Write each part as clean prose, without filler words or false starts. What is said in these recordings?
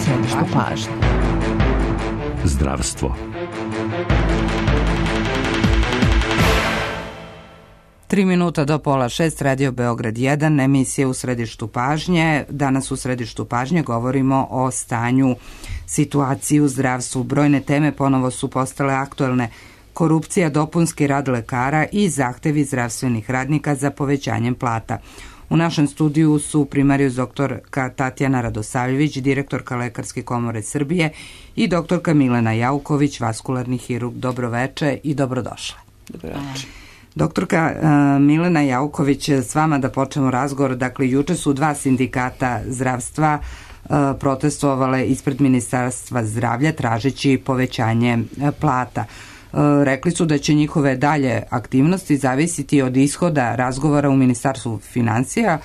Središtu pažnje. Zdravstvo. 3 minuta do 5:30, Radio Beograd 1, emisije u središtu pažnje. Danas u središtu pažnje govorimo o stanju situaciji u zdravstvu. Brojne teme ponovo su postale aktuelne. Korupcija, dopunski rad lekara i zahtevi zdravstvenih radnika za povećanjem plata. U našem studiju su primarijus doktorka Tatjana Radosavljević, direktorka Lekarske komore Srbije, i doktorka Milena Jauković, vaskularni hirurg. Dobroveče i dobrodošle. Dobroveče. Doktorka Milena Jauković, s vama da počnemo razgovor. Dakle, juče su 2 sindikata zdravstva protestovale ispred Ministarstva zdravlja tražeći povećanje plata. Rekli su da će njihove dalje aktivnosti zavisiti od ishoda razgovora u Ministarstvu finansija.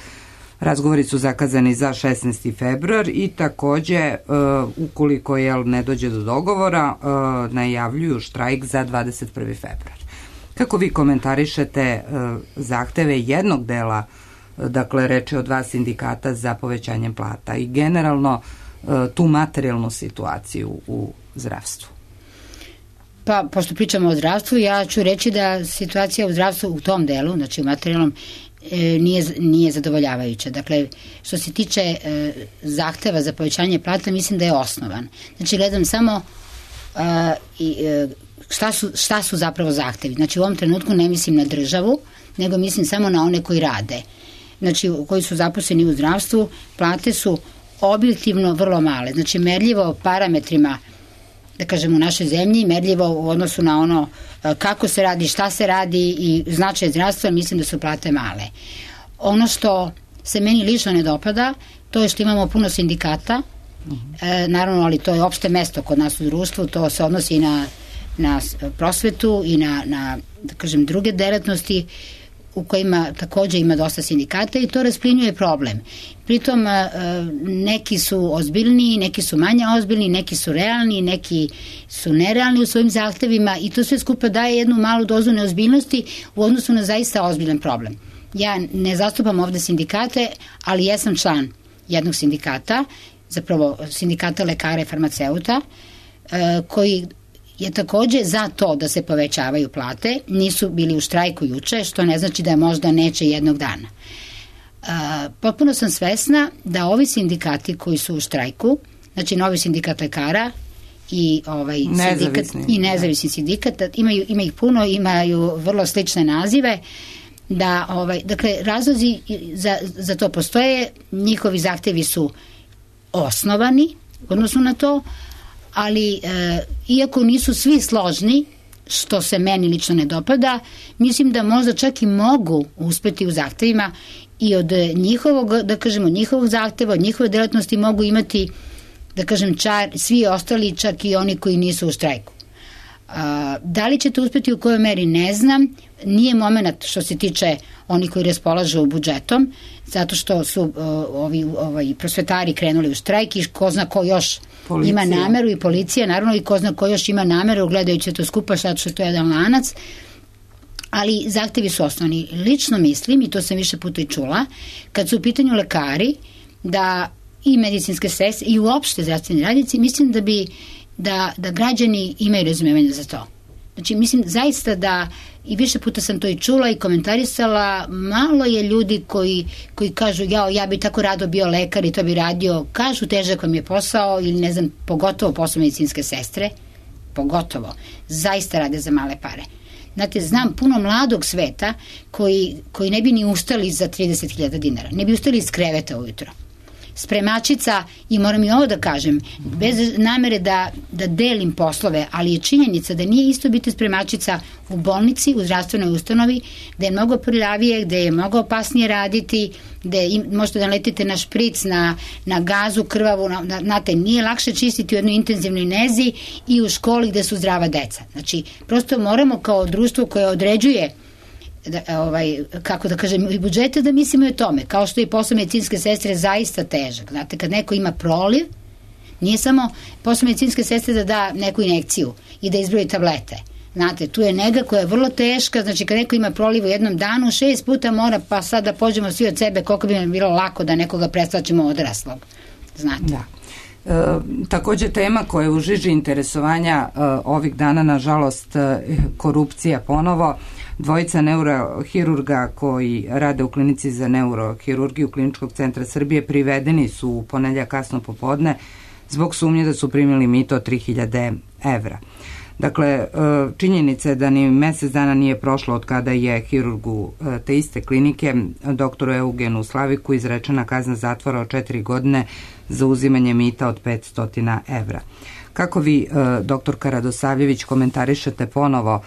Razgovori su zakazani za 16. februar i takođe, ukoliko ne dođe do dogovora, najavljuju štrajk za 21. februar. Kako vi komentarišete zahteve jednog dela, dakle reč je o 2 sindikata za povećanjem plata i generalno tu materijalnu situaciju u zdravstvu? Pa, pošto pričamo o zdravstvu, ja ću reći da situacija u zdravstvu u tom delu, znači u materijalnom, nije zadovoljavajuća. Dakle, što se tiče zahteva za povećanje plata, mislim da je osnovan. Znači, gledam samo šta su zapravo zahtevi. Znači, u ovom trenutku ne mislim na državu, nego mislim samo na one koji rade. Znači, koji su zaposleni u zdravstvu, plate su objektivno vrlo male. Znači, merljivo parametrima, da kažem, u našoj zemlji, merljivo u odnosu na ono kako se radi, šta se radi i značaj zdravstva, mislim da su plate male. Ono što se meni lično ne dopada, to je što imamo puno sindikata, naravno, ali to je opšte mesto kod nas u društvu, to se odnosi i na prosvetu i na da kažem, druge delatnosti u kojima takođe ima dosta sindikata i to rasplinjuje problem. Pritom neki su ozbiljni, neki su manje ozbiljni, neki su realni, neki su nerealni u svojim zahtevima i to sve skupa daje jednu malu dozu neozbiljnosti u odnosu na zaista ozbiljan problem. Ja ne zastupam ovde sindikate, ali jesam član jednog sindikata, zapravo sindikata lekara i farmaceuta, koji je takođe za to da se povećavaju plate, nisu bili u štrajku juče, što ne znači da možda neće jednog dana. Potpuno sam svesna da ovi sindikati koji su u štrajku, znači novi sindikat lekara i nezavisni sindikat, ima ih puno, imaju vrlo slične nazive, dakle, razlozi za to postoje, njihovi zahtevi su osnovani u odnosu na to, ali iako nisu svi složni, što se meni lično ne dopada, mislim da možda čak i mogu uspeti u zahtevima i od njihovog, da kažemo, njihovog zahteva, od njihove delatnosti mogu imati, da kažem, čar, svi ostali, čak i oni koji nisu u štrajku. Da li ćete uspeti u kojoj meri, ne znam. Nije moment što se tiče oni koji raspolažu budžetom, zato što su ovi prosvetari krenuli u štrajk i ko zna ko još ima nameru, i policija naravno, i ko zna ko još ima nameru gledajući to skupa, zato što je to jedan lanac, ali zahtevi su osnovni. Lično mislim, i to sam više puta i čula, kad su u pitanju lekari, da i medicinske sestre i uopšte zdravstveni radnici, mislim da građani imaju razumevanja za to. Znači, mislim zaista da, i više puta sam to i čula i komentarisala, malo je ljudi koji kažu, ja bi tako rado bio lekar i to bi radio, kažu težak vam je posao, ili ne znam, pogotovo posao medicinske sestre, pogotovo, zaista rade za male pare. Znate, znam puno mladog sveta koji ne bi ni ustali za 30.000 dinara, ne bi ustali iz kreveta ujutro. Spremačica, i moram i ovo da kažem, bez namere da delim poslove, ali je činjenica da nije isto biti spremačica u bolnici, u zdravstvenoj ustanovi, da je mnogo prljavije, da je mnogo opasnije raditi, da možete da letite na špric, na gazu krvavu, znate, nije lakše čistiti u jednoj intenzivnoj nezi i u školi gde su zdrava deca. Znači, prosto moramo kao društvo koje određuje kako da kažem, i budžete, da mislimo i o tome, kao što je posao medicinske sestre zaista težak. Znate, kad neko ima proliv, nije samo posao medicinske sestre da da neku injekciju i da izbroji tablete. Znate, tu je nega koja je vrlo teška, znači kad neko ima proliv u jednom danu, 6 puta mora, pa sad da pođemo svi od sebe, koliko bi nam bilo lako da nekoga predstavljamo odraslog. Znate. Da. Takođe tema koja je u žiži interesovanja ovih dana, nažalost, korupcija ponovo. Dvojica neurohirurga koji rade u klinici za neurohirurgiju Kliničkog centra Srbije privedeni su u ponedeljak kasno popodne zbog sumnje da su primili mito od 3000 evra. Dakle, činjenica je da ni mesec dana nije prošlo od kada je hirurgu te iste klinike, doktoru Eugenu Slaviku, izrečena kazna zatvora od 4 godine za uzimanje mita od 500 evra. Kako vi, doktorka Radosavljević, komentarišete ponovo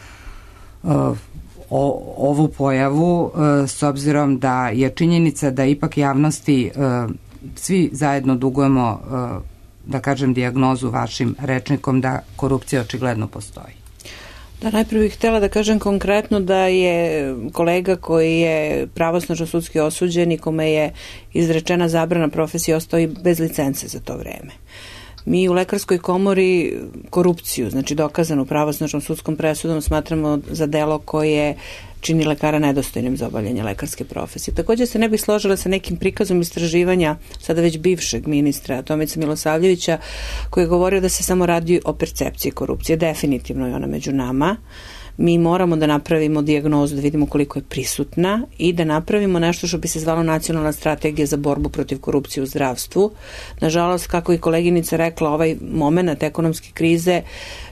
ovu pojavu, s obzirom da je činjenica da ipak javnosti svi zajedno dugujemo, da kažem, dijagnozu vašim rečnikom da korupcija očigledno postoji? Da, najprije bih htjela da kažem konkretno da je kolega koji je pravosnažno sudski osuđen i kome je izrečena zabrana profesije ostao i bez licence za to vreme. Mi u Lekarskoj komori korupciju, znači dokazanu pravosnažnom sudskom presudom, smatramo za delo koje čini lekara nedostojnim za obavljanje lekarske profesije. Također se ne bih složila sa nekim prikazom istraživanja sada već bivšeg ministra Tomice Milosavljevića, koji je govorio da se samo radi o percepciji korupcije. Definitivno je ona među nama. Mi moramo da napravimo dijagnozu, da vidimo koliko je prisutna i da napravimo nešto što bi se zvalo nacionalna strategija za borbu protiv korupcije u zdravstvu. Nažalost, kako i koleginica rekla, ovaj moment ekonomske krize,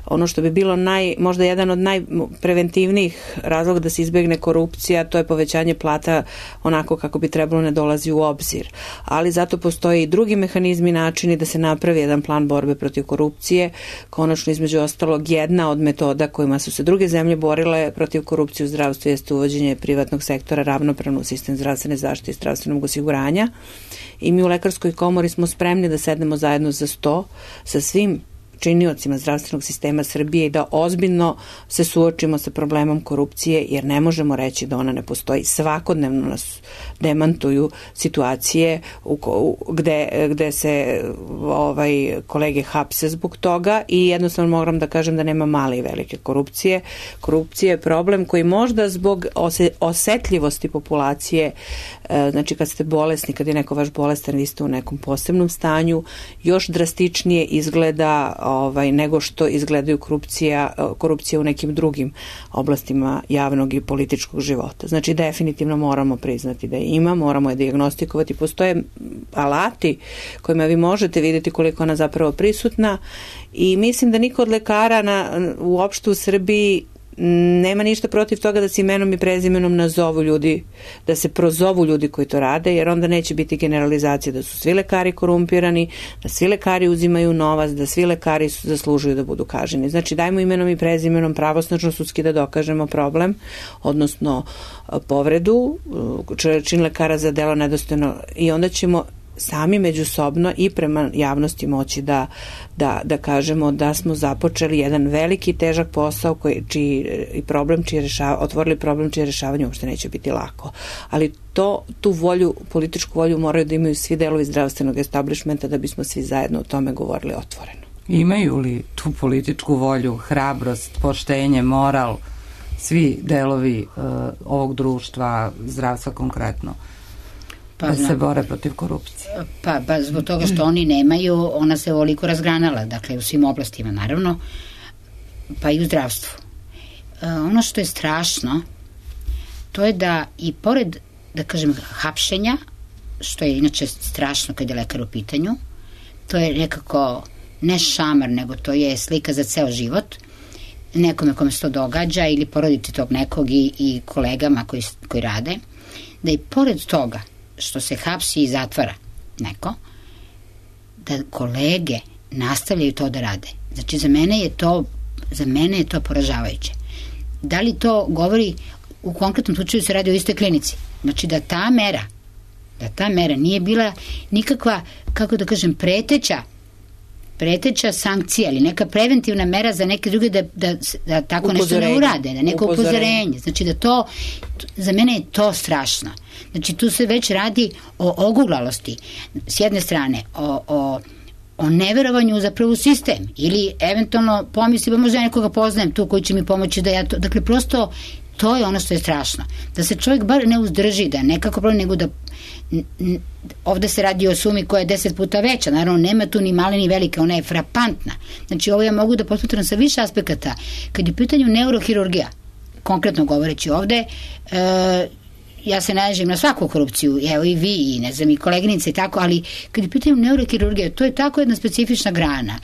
ono što bi bilo možda jedan od najpreventivnijih razloga da se izbjegne korupcija, to je povećanje plata onako kako bi trebalo, ne dolazi u obzir. Ali zato postoje i drugi mehanizmi, načini da se napravi jedan plan borbe protiv korupcije. Konačno, između ostalog, jedna od metoda kojima su se druge zemlje borile protiv korupcije u zdravstvu jeste uvođenje privatnog sektora ravnopravno u sistem zdravstvene zaštite i zdravstvenog osiguranja. I mi u Lekarskoj komori smo spremni da sednemo zajedno za sto sa svim činiocima zdravstvenog sistema Srbije i da ozbiljno se suočimo sa problemom korupcije, jer ne možemo reći da ona ne postoji. Svakodnevno nas demantuju situacije gde se kolege hapse zbog toga i jednostavno moram da kažem da nema male i velike korupcije. Korupcija je problem koji možda zbog osetljivosti populacije, znači kad ste bolesni, kad je neko vaš bolestan, vi ste u nekom posebnom stanju, još drastičnije izgleda nego što izgledaju korupcija u nekim drugim oblastima javnog i političkog života. Znači definitivno moramo priznati da je ima, moramo je dijagnostikovati. Postoje alati kojima vi možete vidjeti koliko ona zapravo prisutna i mislim da niko od lekara uopšte u Srbiji nema ništa protiv toga da se imenom i prezimenom nazovu ljudi, da se prozovu ljudi koji to rade, jer onda neće biti generalizacija da su svi lekari korumpirani, da svi lekari uzimaju novac, da svi lekari zaslužuju da budu kažnjeni. Znači dajmo imenom i prezimenom pravosnažno sudski da dokažemo problem, odnosno povredu, čin lekara za delo nedostojno, i onda ćemo sami međusobno i prema javnosti moći da kažemo da smo započeli jedan veliki težak posao otvorili problem čije rešavanje uopšte neće biti lako. Ali tu volju, političku volju moraju da imaju svi delovi zdravstvenog establishmenta da bismo svi zajedno o tome govorili otvoreno. Imaju li tu političku volju, hrabrost, poštenje, moral, svi delovi ovog društva, zdravstva konkretno? Da se bore protiv korupcije. Pa zbog toga što oni nemaju, ona se ovoliko razgranala, dakle u svim oblastima naravno, pa i u zdravstvu. Ono što je strašno, to je da i pored, da kažem, hapšenja, što je inače strašno kad je lekar u pitanju, to je nekako ne šamar, nego to je slika za ceo život, nekome kome se to događa ili porodici tog nekog i kolegama koji rade, da i pored toga što se hapsi i zatvara neko, da kolege nastavljaju to da rade. Znači, za mene je to poražavajuće. Da li to govori, u konkretnom slučaju se radi o istoj klinici, znači da ta mera nije bila nikakva, kako da kažem, preteća sankcija ili neka preventivna mera za neke druge da tako nešto ne urade, da neko upozorenje. Znači da to, za mene je to strašno. Znači tu se već radi o oguglalosti. S jedne strane, o o neverovanju zapravo u sistem ili eventualno pomisli, možda ja nekoga poznajem tu koji će mi pomoći da ja to, dakle prosto to je ono što je strašno, da se čovjek bar ne uzdrži, da nekako problem, nego da ovde se radi o sumi koja je 10 puta veća, naravno nema tu ni male ni velike, ona je frapantna, znači ovo ja mogu da posmatram sa više aspekata, kad je u pitanju neurohirurgija, konkretno govoreći ovde, ja se nađem na svaku korupciju, evo i vi, i ne znam, i koleginice i tako, ali kad je u pitanju neurohirurgija, to je tako jedna specifična grana,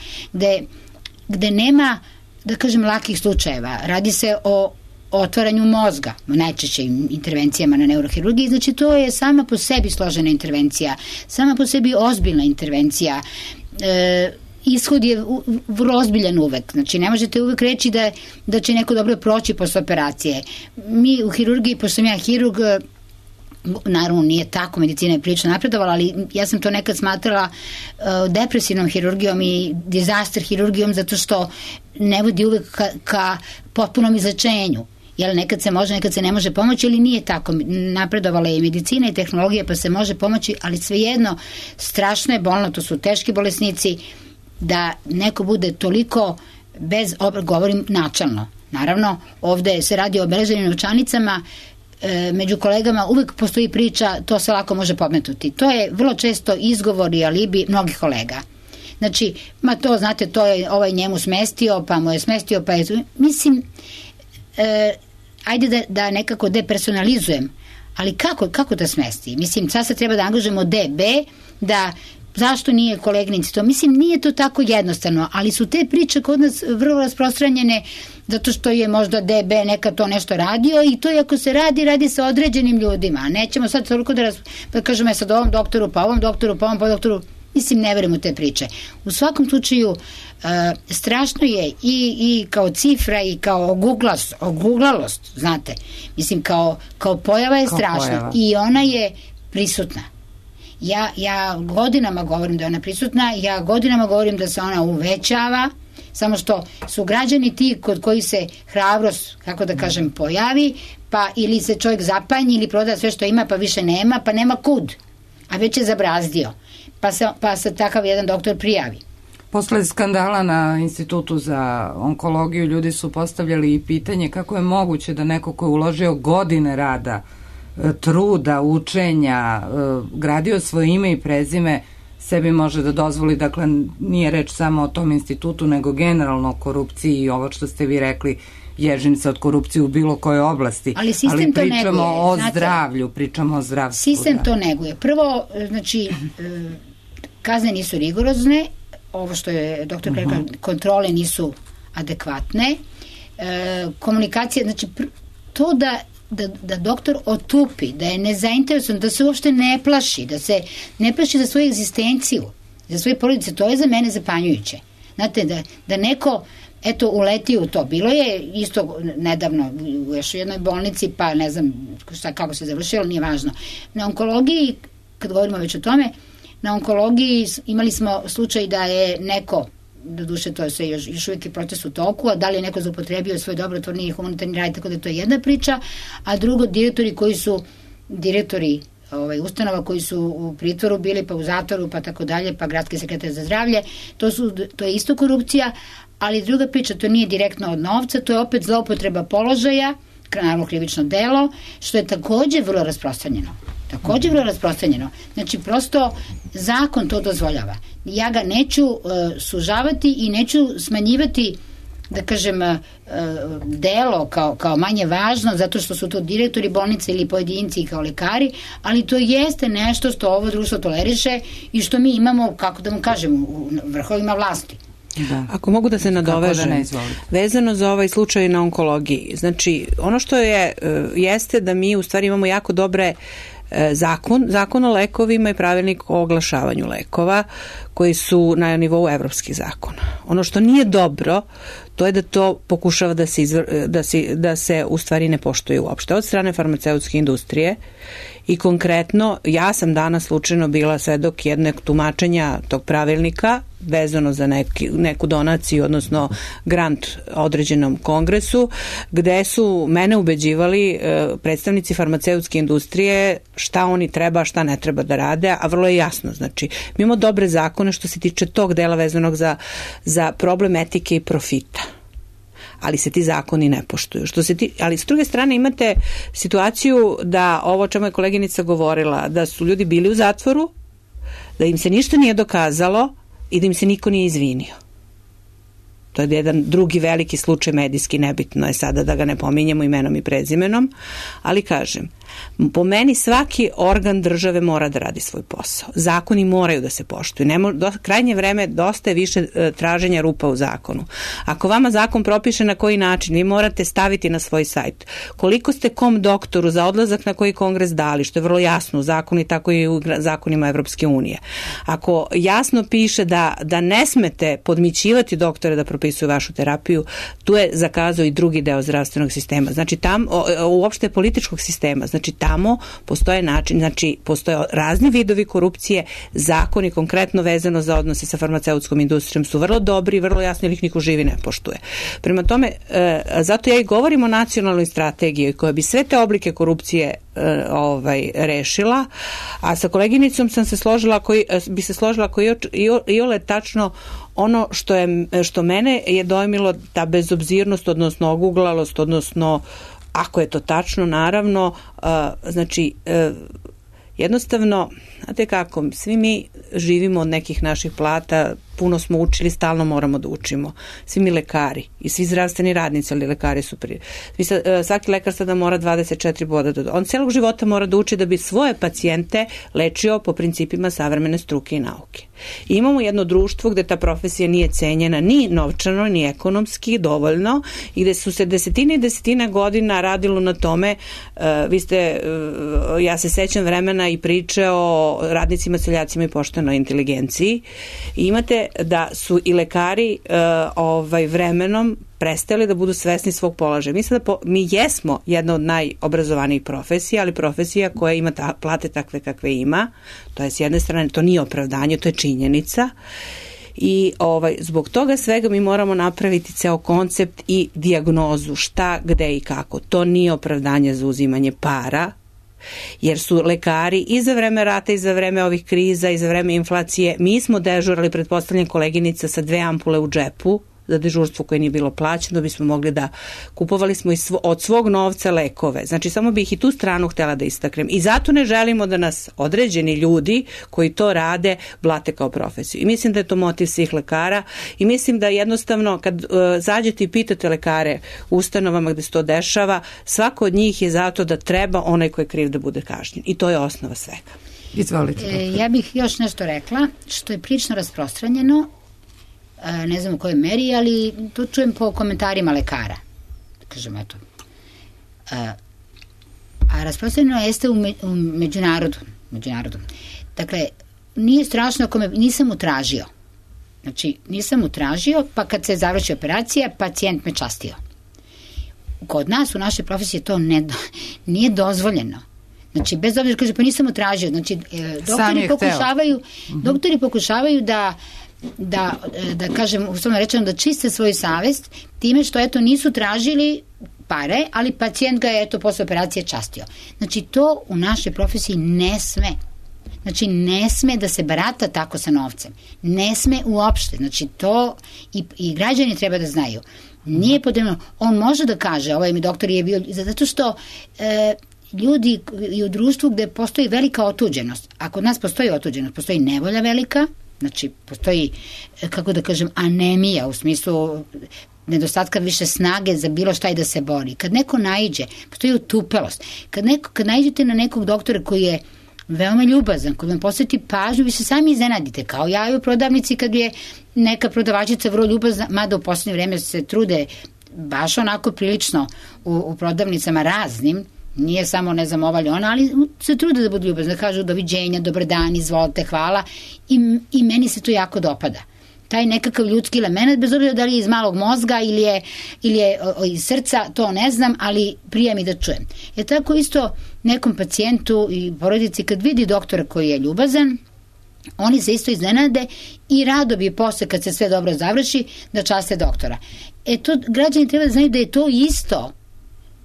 gde nema, da kažem, lakih slučajeva, radi se o otvaranju mozga, najčešće intervencijama na neurohirurgiji, znači to je sama po sebi složena intervencija, sama po sebi ozbiljna intervencija, ishod je vrlo ozbiljan uvek, znači ne možete uvek reći da će neko dobro proći posle operacije. Mi u hirurgiji, pošto sam ja hirurg, naravno nije tako, medicina je prilično napredovala, ali ja sam to nekad smatrala depresivnom hirurgijom i disaster hirurgijom, zato što ne vodi uvek ka potpunom izlečenju. Jel, nekad se može, nekad se ne može pomoći, ali nije tako. Napredovala je i medicina i tehnologija, pa se može pomoći, ali svejedno strašno je bolno, to su teški bolesnici, da neko bude toliko govorim načalno. Naravno, ovde se radi o obeleženim novčanicama, među kolegama uvek postoji priča, to se lako može podmetnuti. To je vrlo često izgovor i alibi mnogih kolega. Znači, to znate, to je ovaj njemu smestio, pa mu je smestio, pa je... Mislim, ajde da nekako depersonalizujem, ali kako da smesti? Mislim, sad se treba da angažujemo DB, da zašto nije koleginici to? Mislim, nije to tako jednostavno, ali su te priče kod nas vrlo rasprostranjene zato što je možda DB neka to nešto radio i to ako se radi sa određenim ljudima. Nećemo sad toliko da kažemo sad ovom doktoru, pa ovom doktoru, pa ovom doktoru. Mislim, ne verujem u te priče. U svakom slučaju, strašno je i kao cifra i kao oguglalost, znate. Mislim, kao pojava je strašna i ona je prisutna. Ja godinama govorim da je ona prisutna, ja godinama govorim da se ona uvećava, samo što su građani ti kod koji se hrabrost, kako da kažem, pojavi, pa ili se čovjek zapanji ili proda sve što ima, pa više nema, pa nema kud, a već je zabrazdio. Pa se takav jedan doktor prijavi. Posle skandala na Institutu za onkologiju ljudi su postavljali i pitanje kako je moguće da neko ko je uložio godine rada, truda, učenja, gradio svoje ime i prezime, sebi može da dozvoli, dakle nije reč samo o tom institutu, nego generalno o korupciji i ovo što ste vi rekli, ježim se od korupcije u bilo kojoj oblasti. Ali sistem to neguje. Pričamo o zdravlju, pričamo o zdravstvu. Sistem to neguje. Prvo, znači, kazne nisu rigorozne, ovo što je doktor rekla, kontrole nisu adekvatne, komunikacija, znači, to da doktor otupi, da je nezainteresovan, da se uopšte ne plaši, da se ne plaši za svoju egzistenciju, za svoje porodice, to je za mene zapanjujuće. Znate, da neko uleti u to. Bilo je isto nedavno u još jednoj bolnici, pa ne znam kako se završilo, nije važno. Na onkologiji, kad govorimo već o tome, na onkologiji imali smo slučaj da je neko, doduše to je sve još uvijek je proces u toku, a da li je neko zaupotrebio svoj dobrotvorni i humanitarni rad, tako da to je jedna priča, a drugo direktori ustanova koji su u pritvoru bili, pa u zatvoru, pa tako dalje, pa gradski sekretar za zdravlje, to je isto korupcija, ali druga priča, to nije direktno od novca, to je opet zloupotreba položaja, naravno krivično delo, što je takođe vrlo rasprostranjeno. Znači, prosto zakon to dozvoljava. Ja ga neću sužavati i neću smanjivati, da kažem, delo kao manje važno, zato što su to direktori bolnice ili pojedinci kao lekari, ali to jeste nešto što ovo društvo toleriše i što mi imamo, kako da mu kažem, u vrhovima vlasti. Da. Ako mogu da se nadovežem, vezano za ovaj slučaj na onkologiji, znači ono što jeste da mi u stvari imamo jako dobre zakon o lekovima i pravilnik o oglašavanju lekova koji su na nivou evropskih zakona. Ono što nije dobro, to je da to pokušava da se u stvari ne poštuje uopšte od strane farmaceutske industrije. I konkretno, ja sam danas slučajno bila svedok jednog tumačenja tog pravilnika vezano za neku donaciju, odnosno grant određenom kongresu, gde su mene ubeđivali predstavnici farmaceutske industrije šta oni treba, šta ne treba da rade, a vrlo je jasno. Znači, mi imamo dobre zakone što se tiče tog dela vezanog za problem etike i profita, ali se ti zakoni ne poštuju. Ali s druge strane imate situaciju da ovo o čemu je koleginica govorila, da su ljudi bili u zatvoru, da im se ništa nije dokazalo i da im se niko nije izvinio. To je jedan drugi veliki slučaj medijski, nebitno je sada da ga ne pominjemo imenom i prezimenom, ali kažem, po meni svaki organ države mora da radi svoj posao. Zakoni moraju da se poštuju. Krajnje vreme dosta je više traženja rupa u zakonu. Ako vama zakon propiše na koji način, vi morate staviti na svoj sajt koliko ste kom doktoru za odlazak na koji kongres dali, što je vrlo jasno u zakonu i tako i u zakonima Evropske unije. Ako jasno piše da ne smete podmićivati doktore da propisuju vašu terapiju, tu je zakazao i drugi deo zdravstvenog sistema. Znači uopšte političkog sistema. Znači tamo postoje način, znači postoje razni vidovi korupcije, zakoni konkretno vezano za odnose sa farmaceutskom industrijom su vrlo dobri, vrlo jasni, jer ih niko živi ne poštuje. Prema tome, zato ja i govorim o nacionalnoj strategiji koja bi sve te oblike korupcije rešila, a sa koleginicom sam se složila, bi se složila koji je tačno ono što mene je dojmilo, ta bezobzirnost, odnosno oguglalost, odnosno ako je to tačno, naravno, znači, jednostavno, znate kako, svi mi živimo od nekih naših plata, puno smo učili, stalno moramo da učimo. Svi mi lekari i svi zdravstveni radnici, ali lekari su svaki lekar sada mora 24 boda da on celog života mora da uči da bi svoje pacijente lečio po principima savremene struke i nauke. I imamo jedno društvo gde ta profesija nije cenjena ni novčano, ni ekonomski dovoljno i gde su se desetine i desetine godina radilo na tome. Ja se sećam vremena i priče o radnicima, seljacima i poštenoj inteligenciji. I imate da su i lekari vremenom prestali da budu svesni svog položaja. Mislim da mi jesmo jedna od najobrazovanijih profesija, ali profesija koja ima plate takve kakve ima. To je s jedne strane, to nije opravdanje, to je činjenica. I zbog toga svega mi moramo napraviti ceo koncept i dijagnozu šta, gde i kako. To nije opravdanje za uzimanje para, jer su lekari i za vreme rata i za vreme ovih kriza i za vreme inflacije, mi smo dežurali, pretpostavljam koleginica, sa 2 ampule u džepu za dežurstvo koje nije bilo plaćeno, bismo mogli da kupovali smo od svog novca lekove. Znači, samo bih i tu stranu htjela da istaknem. I zato ne želimo da nas određeni ljudi koji to rade blate kao profesiju. I mislim da je to motiv svih lekara i mislim da jednostavno kad zađete i pitate lekare u ustanovama gde se to dešava, svako od njih je zato da treba onaj ko je kriv da bude kažnjen. I to je osnova svega. Izvolite. Ja bih još nešto rekla, što je prilično rasprostranjeno, ne znam u kojoj meri, ali to čujem po komentarima lekara. Kažem, eto. A rasprostranjeno jeste u međunarodu. Dakle, nije strašno ako nisam utražio. Znači, nisam utražio, pa kad se završi operacija, pacijent me častio. Kod nas, u našoj profesiji, to nije dozvoljeno. Znači, bez obzira, kaže, pa nisam utražio. Znači, doktori pokušavaju da kažem, uslovno rečeno, da čiste svoju savest time što, eto, nisu tražili pare, ali pacijent ga je, eto, posle operacije častio. Znači, to u našoj profesiji ne sme. Znači, ne sme da se barata tako sa novcem. Ne sme uopšte. Znači, to i građani treba da znaju. Nije potrebno. On može da kaže, ovaj mi doktor je bio, zato što ljudi i u društvu gde postoji velika otuđenost. A kod nas postoji otuđenost, postoji nevolja velika, znači postoji, kako da kažem, anemija u smislu nedostatka više snage za bilo šta i da se bori. Kad neko naiđe, postoji utupelost. Kad naiđete na nekog doktora koji je veoma ljubazan, koji vam posveti pažnju, vi se sami iznenadite, kao ja i u prodavnici kad je neka prodavačica vrlo ljubazna, mada u poslednje vreme se trude baš onako prilično u prodavnicama raznim, nije samo ne znam ova ili ona, ali se trude da budu ljubazni, da kažu doviđenja, dobar dan, izvolite, hvala i meni se to jako dopada. taj nekakav ljudski element, bez obzira da li je iz malog mozga ili je iz srca, to ne znam, ali prija mi da čujem. Tako isto nekom pacijentu i porodici kad vidi doktora koji je ljubazan, oni se isto iznenade i rado bi posle kad se sve dobro završi da časte doktora. To građani treba da znaju da je to isto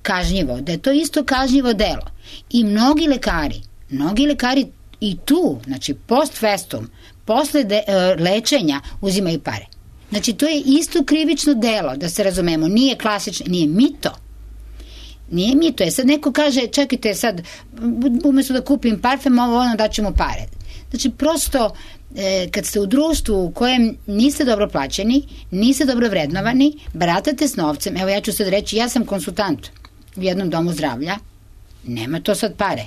kažnjivo, da je to isto kažnjivo delo. I mnogi lekari i tu, znači post festum, posle lečenja uzimaju pare. Znači to je isto krivično delo, da se razumemo, nije klasično, nije mito. Nije mito, sad neko kaže, čekajte sad, umesto da kupim parfem, ono daćemo pare. Znači prosto, kad ste u društvu u kojem niste dobro plaćeni, niste dobro vrednovani, baratate s novcem, evo ja ću sad reći, ja sam konsultant u jednom domu zdravlja, nema to sad pare,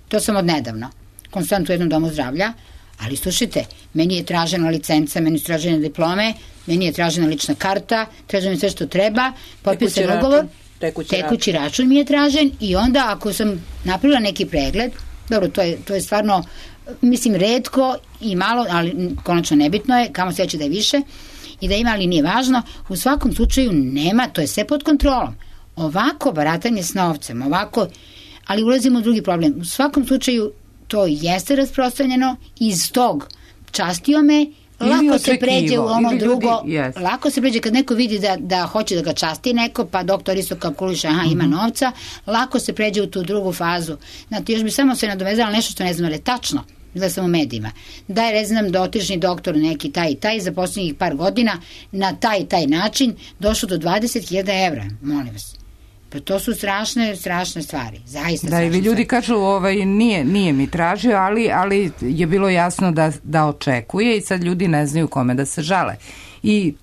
to sam od nedavno, konsultant u jednom domu zdravlja, ali slušajte, meni je tražena licenca, meni su tražene diplome, meni je tražena lična karta, traženo mi sve što treba, potpisan ugovor, tekući račun mi je tražen i onda ako sam napravila neki pregled, dobro, to je stvarno, mislim, retko i malo, ali konačno nebitno je, kamo se će da je više i da ima, ali nije važno, u svakom slučaju nema, to je sve pod kontrolom. Ovako baratanje s novcem, ali ulazimo u drugi problem. U svakom slučaju to jeste rasprostranjeno, iz tog častio me, lako se pređe u ono drugo, lako se pređe kad neko vidi da hoće da ga časti neko, pa doktor isto kalkuliše, ima novca, lako se pređe u tu drugu fazu. Znate, još bi samo se nadovezala nešto što ne znam, ali tačno, da sam u medijima, da je, ne znam, dotični doktor neki taj i taj za posljednjih par godina na taj način došlo do 20.000 evra, molim vas. Pa to su strašne stvari, zaista strašne. Da, i ljudi kažu, nije mi tražio, ali je bilo jasno da očekuje i sad ljudi ne znaju kome da se žale. I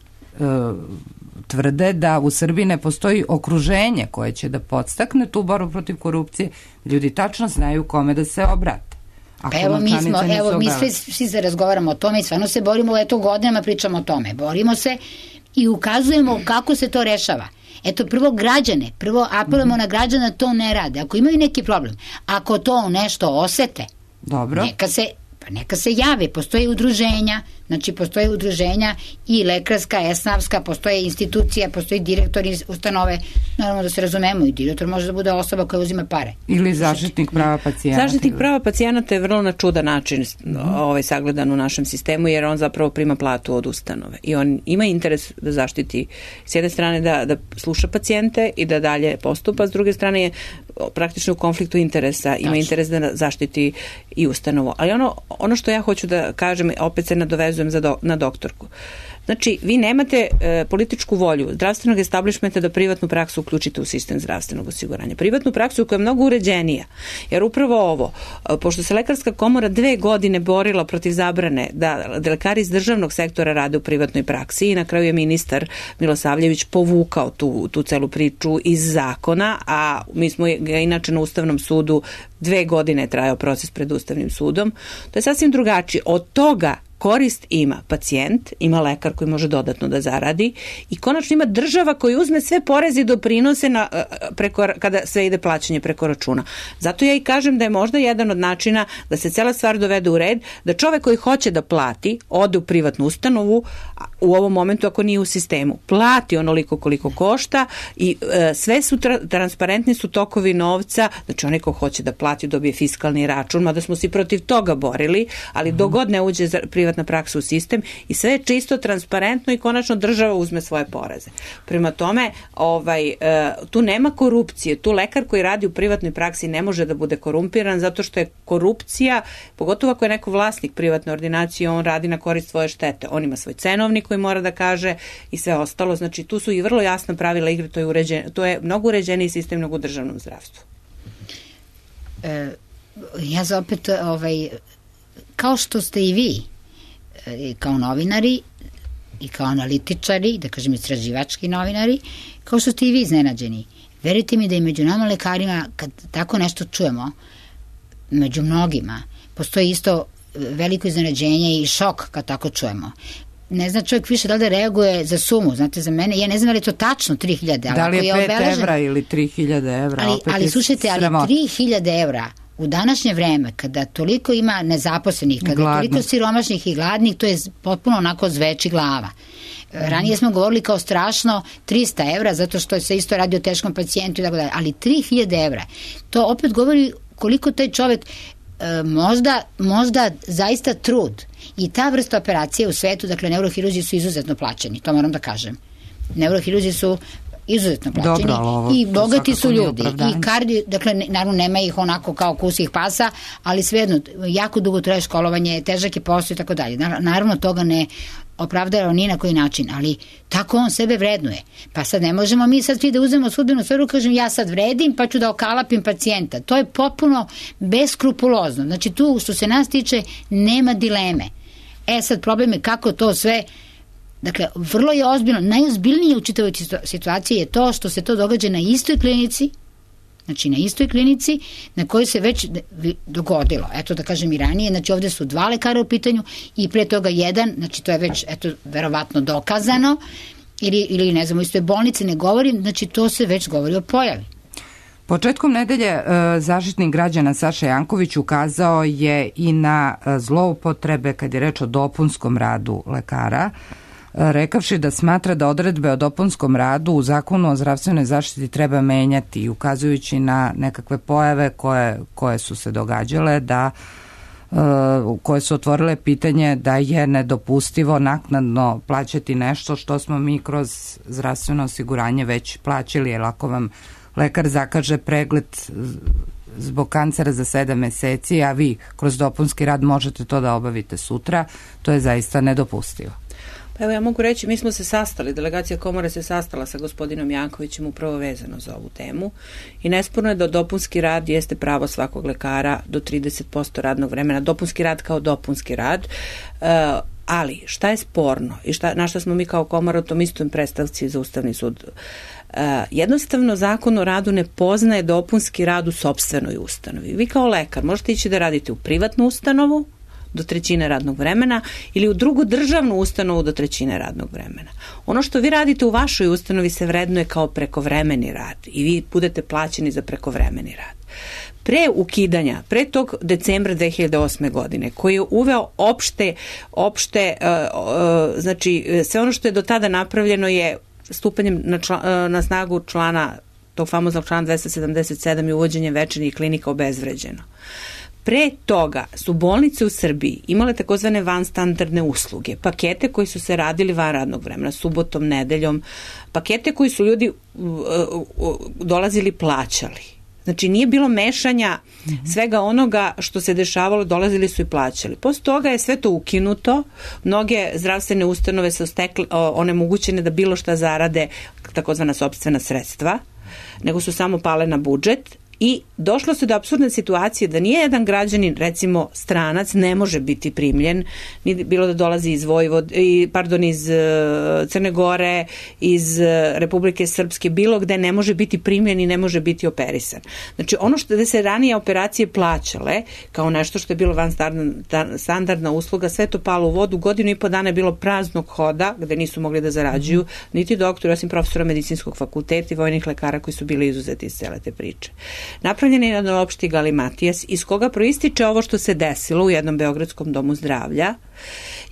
tvrde da u Srbiji ne postoji okruženje koje će da podstakne tu borbu protiv korupcije. Ljudi tačno znaju kome da se obrate. Pa mi svi se razgovaramo o tome i stvarno se borimo, godinama pričamo o tome. Borimo se i ukazujemo kako se to rešava. Prvo apelujemo na građana to ne rade. Ako imaju neki problem, ako to nešto osete, dobro, neka se jave. Postoje udruženja i lekarska, esnavska, postoje institucija, postoji direktor ustanove, naravno da se razumemo, i direktor može da bude osoba koja uzima pare. Ili zaštitnik prava pacijenata. Zaštitnik prava pacijenata je vrlo na čudan način sagledan u našem sistemu, jer on zapravo prima platu od ustanove i on ima interes da zaštiti s jedne strane da sluša pacijente i da dalje postupa, s druge strane je praktično u konfliktu interesa, ima interes da zaštiti i ustanovu. Ali ono što ja hoću da kažem, opet se nadovezujem na doktorku. Znači, vi nemate političku volju zdravstvenog establishmenta da privatnu praksu uključite u sistem zdravstvenog osiguranja. Privatnu praksu koja je mnogo uređenija. Jer upravo ovo, pošto se Lekarska komora 2 godine borila protiv zabrane da lekari iz državnog sektora rade u privatnoj praksi i na kraju je ministar Milosavljević povukao tu celu priču iz zakona, a mi smo ga inače na Ustavnom sudu 2 godine trajao proces pred Ustavnim sudom. To je sasvim drugačije. Od toga korist ima pacijent, ima lekar koji može dodatno da zaradi i konačno ima država koji uzme sve poreze i doprinose kada sve ide plaćanje preko računa. Zato ja i kažem da je možda jedan od načina da se cela stvar dovede u red, da čovek koji hoće da plati, ode u privatnu ustanovu, u ovom momentu ako nije u sistemu, plati onoliko koliko košta i sve su transparentni su tokovi novca, znači onaj ko hoće da plati dobije fiskalni račun, mada smo se protiv toga borili, ali dok god ne uđe privatna praksa u sistem i sve je čisto, transparentno i konačno država uzme svoje poreze. Prema tome, tu nema korupcije, tu lekar koji radi u privatnoj praksi ne može da bude korumpiran zato što je korupcija, pogotovo ako je neko vlasnik privatne ordinacije, on radi na korist svoje štete. On ima svoj cenovnik koji mora da kaže i sve ostalo. Znači, tu su i vrlo jasna pravila igre, to je mnogo uređeniji sistem nego u državnom zdravstvu. Ja za opet, kao što ste i vi, kao novinari i kao analitičari, da kažem istraživački novinari, kao što ste i vi iznenađeni. Verujte mi da i među nama lekarima, kad tako nešto čujemo, među mnogima, postoji isto veliko iznenađenje i šok kad tako čujemo. Ne zna čovjek više da li da reaguje za sumu, znate, za mene, ja ne znam da li je to tačno 3.000 evra. Da li je 5 evra ili 3.000 evra, ali slušajte, ali 3.000 evra u današnje vreme, kada toliko ima nezaposlenih, kada je toliko siromašnih i gladnih, to je potpuno onako zveči glava. Ranije smo govorili kao strašno 300 evra, zato što se isto radi o teškom pacijentu i tako dalje, ali 3000 evra. To opet govori koliko taj čovek možda zaista trud i ta vrsta operacije u svetu, dakle neurohirurzi su izuzetno plaćeni, to moram da kažem. Neurohirurzi su izuzetno plaćeni i bogati su ljudi i kardio, dakle naravno nema ih onako kao kusih pasa, ali svejedno jako dugo traje školovanje, težak je posao i tako dalje. Naravno toga ne opravdava ni na koji način, ali tako on sebe vrednuje. Pa sad ne možemo mi sad svi da uzmemo sudbenu sferu, kažem ja sad vredim pa ću da okalapim pacijenta. To je potpuno beskrupulozno. Znači tu što se nas tiče nema dileme. Sad problem je kako to sve. Dakle, vrlo je ozbiljno, najozbiljnije u čitavoj situaciji je to što se to događa na istoj klinici, znači na istoj klinici na kojoj se već dogodilo, eto da kažem i ranije, znači ovde su 2 lekara u pitanju i pre toga 1, znači to je već, eto, verovatno dokazano, ili ne znam, u istoj bolnici ne govorim, znači to se već govori o pojavi. Početkom nedelje Zaštitnik građana Saša Janković ukazao je i na zloupotrebe kad je reč o dopunskom radu lekara, rekavši da smatra da odredbe o dopunskom radu u Zakonu o zdravstvenoj zaštiti treba menjati i ukazujući na nekakve pojave koje su se događale, koje su otvorile pitanje da je nedopustivo naknadno plaćati nešto što smo mi kroz zdravstveno osiguranje već plaćali, jer ako vam lekar zakaže pregled zbog kancera za 7 meseci, a vi kroz dopunski rad možete to da obavite sutra, to je zaista nedopustivo. Pa evo ja mogu reći, mi smo se sastali, delegacija komore se sastala sa gospodinom Jankovićem upravo vezano za ovu temu i nesporno je da dopunski rad jeste pravo svakog lekara do 30% radnog vremena, dopunski rad kao dopunski rad, ali šta je sporno i na šta smo mi kao komora u tom istom predstavci za Ustavni sud? Jednostavno Zakon o radu ne poznaje dopunski rad u sopstvenoj ustanovi. Vi kao lekar možete ići da radite u privatnu ustanovu do 1/3 radnog vremena ili u drugu državnu ustanovu do 1/3 radnog vremena. Ono što vi radite u vašoj ustanovi se vrednuje kao prekovremeni rad i vi budete plaćeni za prekovremeni rad. Pre ukidanja, pre tog decembra 2008. godine, koji je uveo opšte znači sve ono što je do tada napravljeno je stupanjem na snagu tog famoznog člana 277 i uvođenjem večernjih klinika obezvređeno. Pre toga su bolnice u Srbiji imale takozvane vanstandardne usluge, pakete koji su se radili van radnog vremena, subotom, nedeljom, pakete koji su ljudi dolazili plaćali. Znači nije bilo mešanja svega onoga što se dešavalo, dolazili su i plaćali. Posle toga je sve to ukinuto, mnoge zdravstvene ustanove su onemogućene da bilo šta zarade, takozvana sopstvena sredstva, nego su samo pale na budžet. I došlo se do apsurdne situacije da nije jedan građanin, recimo stranac, ne može biti primljen, bilo da dolazi iz iz Crne Gore, iz Republike Srpske, bilo gde ne može biti primljen i ne može biti operisan. Znači ono što se ranije operacije plaćale, kao nešto što je bilo vanstandardna usluga, sve to palo u vodu, 1,5 godina je bilo praznog hoda, gde nisu mogli da zarađuju, niti doktori, osim profesora medicinskog fakulteta i vojnih lekara koji su bili izuzeti iz cele te priče. Napravljen je jedan opšti galimatijas iz koga proističe ovo što se desilo u jednom beogradskom domu zdravlja,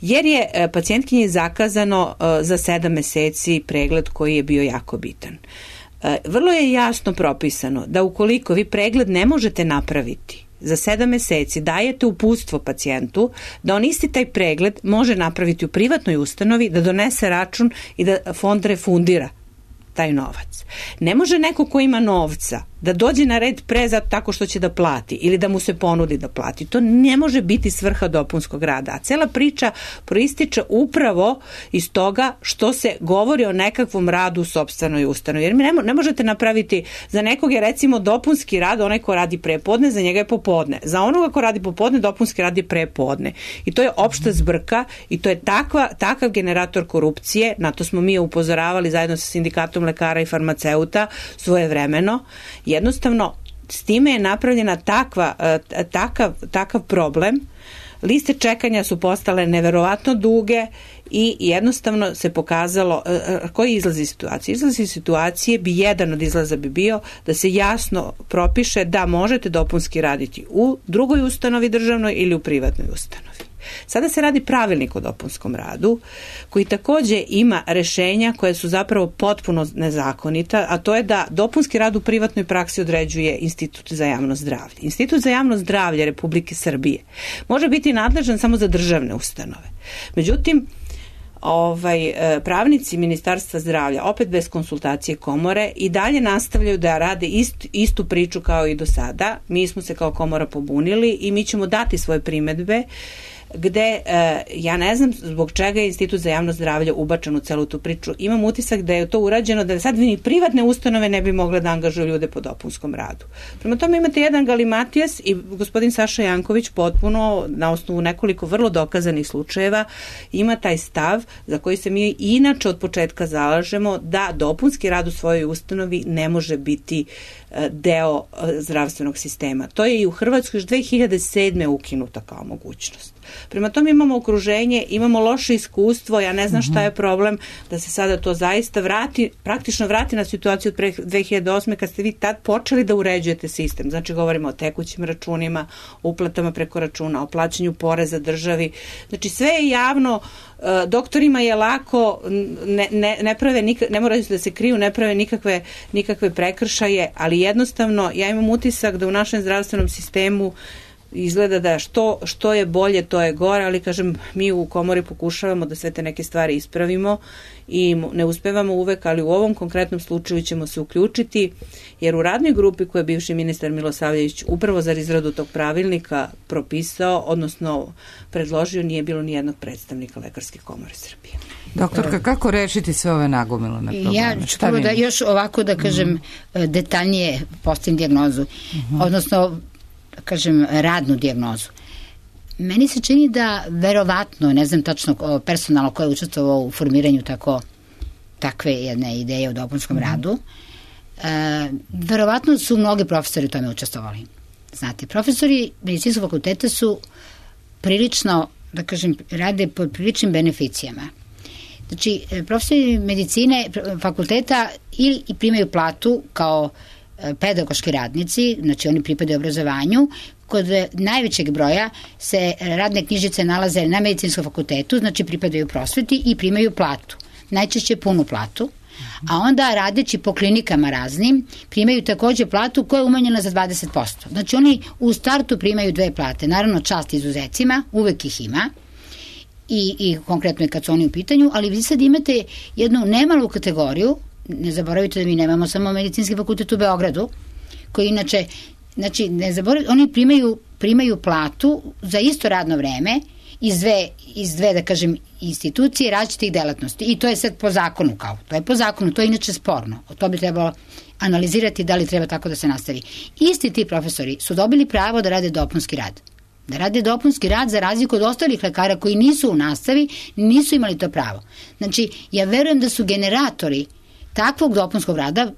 jer je pacijentkinji zakazano za 7 meseci pregled koji je bio jako bitan. Vrlo je jasno propisano da ukoliko vi pregled ne možete napraviti za 7 meseci, dajete uputstvo pacijentu da on isti taj pregled može napraviti u privatnoj ustanovi, da donese račun i da fond refundira taj novac. Ne može neko ko ima novca da dođe na red tako što će da plati ili da mu se ponudi da plati. To ne može biti svrha dopunskog rada. A cela priča proističe upravo iz toga što se govori o nekakvom radu u sopstvenoj ustanovi. Jer ne možete napraviti, za nekog je recimo dopunski rad, onaj ko radi prepodne, za njega je popodne. Za onoga ko radi popodne, dopunski rad je prepodne. I to je opšta zbrka i to je takav generator korupcije, na to smo mi upozoravali zajedno sa sindikatom lekara i farmaceuta svojevremeno. Jednostavno, s time je napravljena takav problem liste čekanja su postale neverovatno duge i jednostavno se pokazalo koji izlazi situacije. Izlazi situacije jedan od izlaza bi bio da se jasno propiše da možete dopunski raditi u drugoj ustanovi državnoj ili u privatnoj ustanovi. Sada se radi pravilnik o dopunskom radu koji takođe ima rešenja koje su zapravo potpuno nezakonita, a to je da dopunski rad u privatnoj praksi određuje Institut za javno zdravlje. Institut za javno zdravlje Republike Srbije može biti nadležan samo za državne ustanove. Međutim, pravnici Ministarstva zdravlja, opet bez konsultacije komore, i dalje nastavljaju da rade istu priču kao i do sada. Mi smo se kao komora pobunili i mi ćemo dati svoje primedbe gde ja ne znam zbog čega je Institut za javno zdravlje ubačen u celu tu priču. Imam utisak da je to urađeno da sad ni privatne ustanove ne bi mogle da angažuju ljude po dopunskom radu. Prema tome imate jedan galimatijas i gospodin Saša Janković potpuno na osnovu nekoliko vrlo dokazanih slučajeva ima taj stav za koji se mi inače od početka zalažemo da dopunski rad u svojoj ustanovi ne može biti deo zdravstvenog sistema. To je i u Hrvatskoj još 2007. ukinuta kao mogućnost. Prema tome imamo okruženje, imamo loše iskustvo, ja ne znam šta je problem da se sada to zaista praktično vrati na situaciju od pre 2008. kad ste vi tad počeli da uređujete sistem. Znači govorimo o tekućim računima, uplatama preko računa, o plaćanju poreza državi. Znači sve je javno, doktorima je lako, ne moraju da se kriju, ne prave nikakve prekršaje, ali jednostavno ja imam utisak da u našem zdravstvenom sistemu izgleda da što je bolje, to je gore, ali kažem, mi u komori pokušavamo da sve te neke stvari ispravimo i ne uspevamo uvek, ali u ovom konkretnom slučaju ćemo se uključiti, jer u radnoj grupi koju je bivši ministar Milosavljević upravo za izradu tog pravilnika propisao, odnosno predložio, nije bilo ni jednog predstavnika Lekarske komore Srbije. Doktorka, kako rešiti sve ove nagomilane probleme? Ja ću prvo da još ovako da kažem detaljnije postavim dijagnozu, odnosno kažem radnu dijagnozu. Meni se čini da verovatno, ne znam tačno personalno ko je učestvovao u formiranju takve jedne ideje o dopunskom radu, verovatno su mnogi profesori u tome učestvovali. Znate, profesori medicinskog fakulteta su prilično, da kažem, rade pod priličnim beneficijama. Znači, profesori medicine fakulteta ili primaju platu kao pedagoški radnici, znači oni pripadaju obrazovanju, kod najvećeg broja se radne knjižice nalaze na medicinskom fakultetu, znači pripadaju prosveti i primaju platu, najčešće punu platu, a onda radeći po klinikama raznim primaju takođe platu koja je umanjena za 20%. Znači oni u startu primaju 2 plate, naravno čast izuzecima, uvek ih ima, i konkretno je kad su oni u pitanju, ali vi sad imate jednu nemalu kategoriju. Ne zaboravite da mi nemamo samo medicinski fakultet u Beogradu, koji inače, znači, ne zaboravite, oni primaju platu za isto radno vreme iz dve, da kažem, institucije različitih delatnosti. I to je sad po zakonu to je po zakonu, to je inače sporno. To bi trebalo analizirati da li treba tako da se nastavi. Isti ti profesori su dobili pravo da rade dopunski rad. Da rade dopunski rad za razliku od ostalih lekara koji nisu u nastavi, nisu imali to pravo. Znači, ja verujem da su generatori takvog dopunskog rada,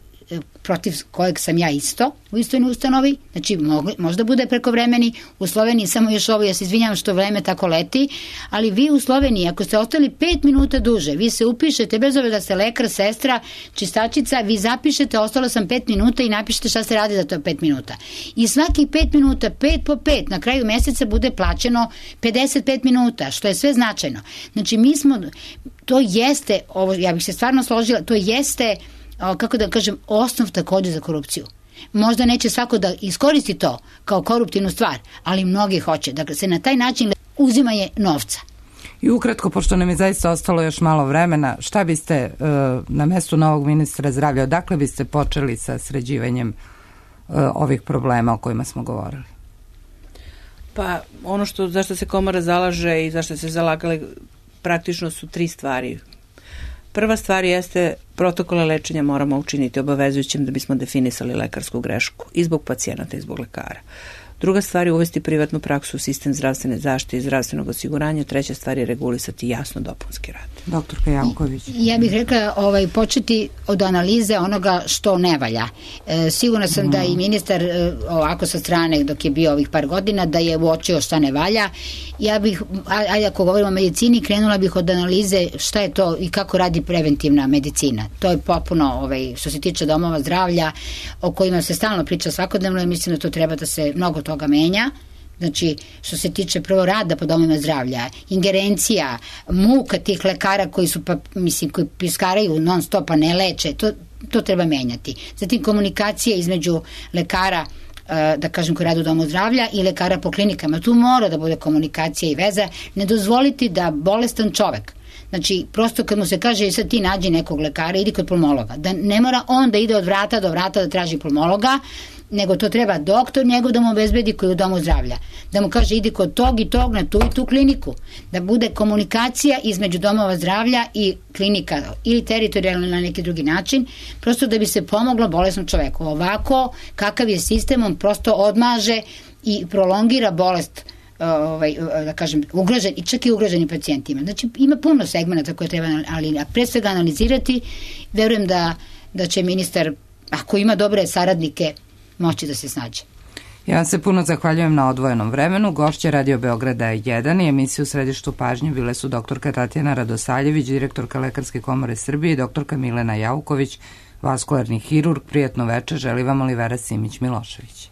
protiv kojeg sam ja isto u istoj ustanovi, znači možda bude prekovremeni, u Sloveniji samo još ovo, ja se izvinjam što vreme tako leti, ali vi u Sloveniji, ako ste ostali 5 minuta duže, vi se upišete, bez obzira da ste lekar, sestra, čistačica, vi zapišete, ostalo sam 5 minuta i napišete šta ste radi za to 5 minuta. I svakih 5 minuta, 5 po 5, na kraju meseca bude plaćeno 55 minuta, što je sve značajno. Znači to jeste, ovo, ja bih se stvarno složila, to jeste, kako da kažem, osnov takođe za korupciju. Možda neće svako da iskoristi to kao koruptivnu stvar, ali mnogi hoće. Dakle, se na taj način uzimanje novca. I ukratko, pošto nam je zaista ostalo još malo vremena, šta biste na mestu novog ministra zdravlja, odakle biste počeli sa sređivanjem ovih problema o kojima smo govorili? Pa ono zašto se komora zalaže i zašto se zalagali praktično su 3 stvari. Prva stvar jeste protokole lečenja moramo učiniti obavezujućim da bismo definisali lekarsku grešku i zbog pacijenata i zbog lekara. Druga stvar je uvesti privatnu praksu u sistem zdravstvene zaštite i zdravstvenog osiguranja. Treća stvar je regulisati jasno dopunski rad. Doktorka Janković. Ja bih rekla početi od analize onoga što ne valja. Sigurna sam da i ministar ovako sa strane dok je bio ovih par godina da je uočio šta ne valja. Ja bih, ako govorimo o medicini, krenula bih od analize šta je to i kako radi preventivna medicina. To je popuno što se tiče domova zdravlja o kojima se stalno priča svakodnevno i mislim da to treba da se mnogo toga menja. Znači, što se tiče prvo rada po domovima zdravlja, ingerencija, muka tih lekara koji su, koji piskaraju non stop, a ne leče, to treba menjati. Zatim, komunikacija između lekara, da kažem, koji rade u domu zdravlja i lekara po klinikama. Tu mora da bude komunikacija i veza. Ne dozvoliti da bolestan čovek, znači, prosto kad mu se kaže sad ti nađi nekog lekara, idi kod pulmologa. Da ne mora on da ide od vrata do vrata da traži pulmologa, nego to treba doktor njegov da mu obezbedi koji je u domu zdravlja. Da mu kaže idi kod tog i tog na tu i tu kliniku. Da bude komunikacija između domova zdravlja i klinika ili teritorijalno na neki drugi način, prosto da bi se pomoglo bolesnom čoveku. Ovako, kakav je sistem, on prosto odmaže i prolongira bolest, da kažem, ugrožen i čak i ugroženim pacijentima. Znači, ima puno segmenta koje treba pre svega analizirati. Verujem da će ministar, ako ima dobre saradnike, moći da se snađe. Ja vam se puno zahvaljujem na odvojenom vremenu. Gošće Radio Beograda 1 i emisiju u središtu pažnje bile su doktorka Tatjana Radosaljević, direktorka Lekarske komore Srbije i doktorka Milena Jauković, vaskularni hirurg. Prijatno večer, želi vam Olivera Simić-Milošević.